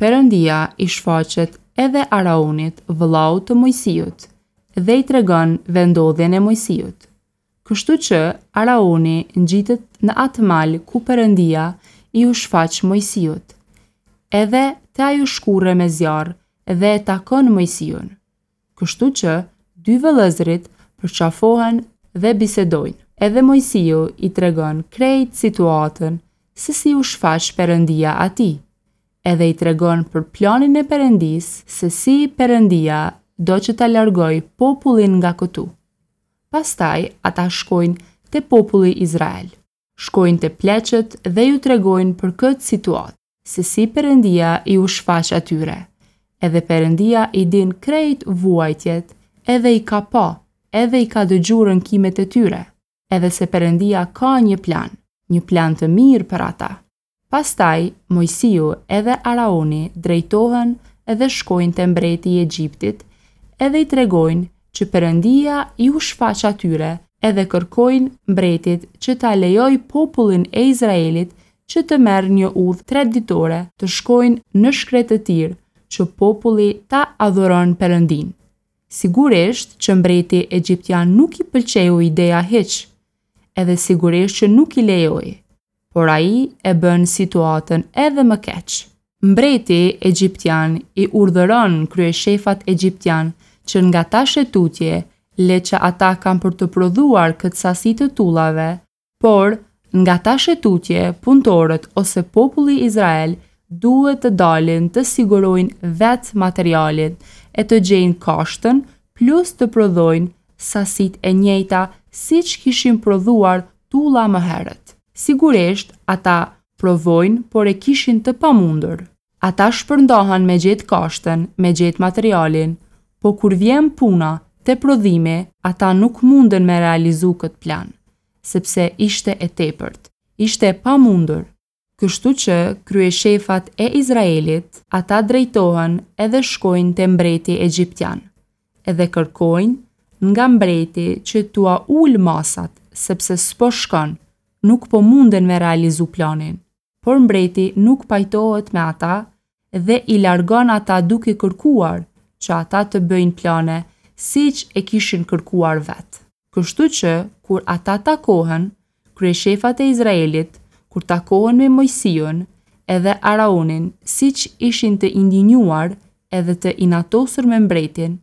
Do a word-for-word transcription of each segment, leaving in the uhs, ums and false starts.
Perëndia i shfaqet edhe Araonit, vëllaut të Moisiut, dhe i tregon vendodhjen e Moisiut. Kështu që Araoni ngjitet në atë mal ku Perëndia iu shfaq Moisiut, edhe te ajo shkurre me zjarr dhe e takon Moisiun. Kështu që dy vëllezërit përqafohen dhe bisedojnë. Edhe Moisiu i tregon krejt situatën se si u shfaq Perëndia atij, edhe i tregon për planin e Perëndisë se si Perëndia do që ta largojë popullin nga këtu. Pastaj ata shkojnë te populli Izrael. Shkojnë te pleqët dhe ju tregojnë për këtë situatë, se si Perëndia iu shfaq atyre. Edhe Perëndia i din krejt vuajtjet, edhe i ka pa, edhe i ka dëgju rënkimet e tyre, edhe se Perëndia ka një plan, një plan të mirë për ata. Pastaj Moisiu edhe Araoni drejtohen edhe shkojnë te mbreti i Egjiptit, edhe i tregojnë që Perëndia iu shfaq atyre edhe kërkojnë mbretit që ta lejojë popullin e Izraelit që të merr një udhë tre ditore të shkojnë në shkretëtirë që populli ta adhuron Perëndin. Sigurisht që mbreti egjiptian nuk i pëlqeu ideja hiç, edhe sigurisht që nuk i lejoi, por ai e bën situatën edhe më keq. Mbreti egjiptian i urdhëron kryeshefat egjiptian që nga tash e tutje le që ata kanë për të prodhuar këtë sasi të tullave, por nga tash e tutje punëtorët ose populli Izrael duhet të dalin të sigurojnë vetë materialin e të gjejnë kashtën plus të prodhojnë sasitë e njëjta siç kishin prodhuar tulla më herët. Sigurisht ata provojnë, por e kishin të pamundur. Ata shpërndahen me gjetë kashtën, me gjetë materialin, po kur vjen puna te prodhimi, ata nuk munden me realizu këtë plan, sepse ishte e tepërt, ishte e pamundur. Kështu që kryeshefat e Izraelit, ata drejtohen edhe shkojnë te mbreti egjiptian, edhe kërkojnë nga mbreti që t'ua ul masat, sepse s'po shkon, nuk po munden me realizu planin. Por mbreti nuk pajtohet me ata dhe i largon ata duke kërkuar që ata të bëjnë plane siç e kishin kërkuar vetë. Kështu që kur ata takohen, kryeshefat e Izraelit, kur takohen me Moisiun edhe Araonin, siç ishin të indinjuar edhe të inatosur me mbretin,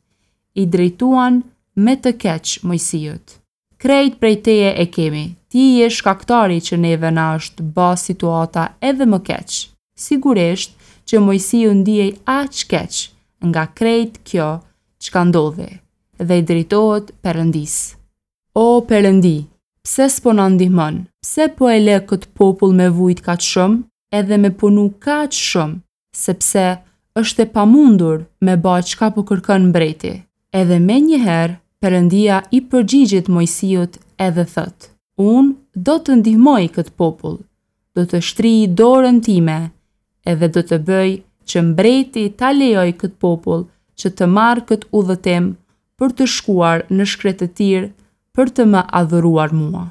i drejtuan me të keq Moisiut. Krejt prej teje e kemi, ti je shkaktari që neve na është ba situata edhe më keq. Sigurisht që Moisiu ndihej aq keq nga krejt kjo çka ndodhi dhe i drejtohet Perëndisë. O Perëndi, pse s'po na ndihmon? Pse po e le këtë popull me vujt kaq shumë edhe me punu kaq shumë, sepse është e pamundur me ba çka po kërkon mbreti. Edhe menjëherë Perëndia i përgjigjet Moisiut edhe thotë: Unë do të ndihmoj këtë popull, do të shtrij dorën time edhe do të bëj që mbreti ta lejoj këtë popull që të marrë këtë udhëtim për të shkuar në shkretëtirë për të më adhuruar mua.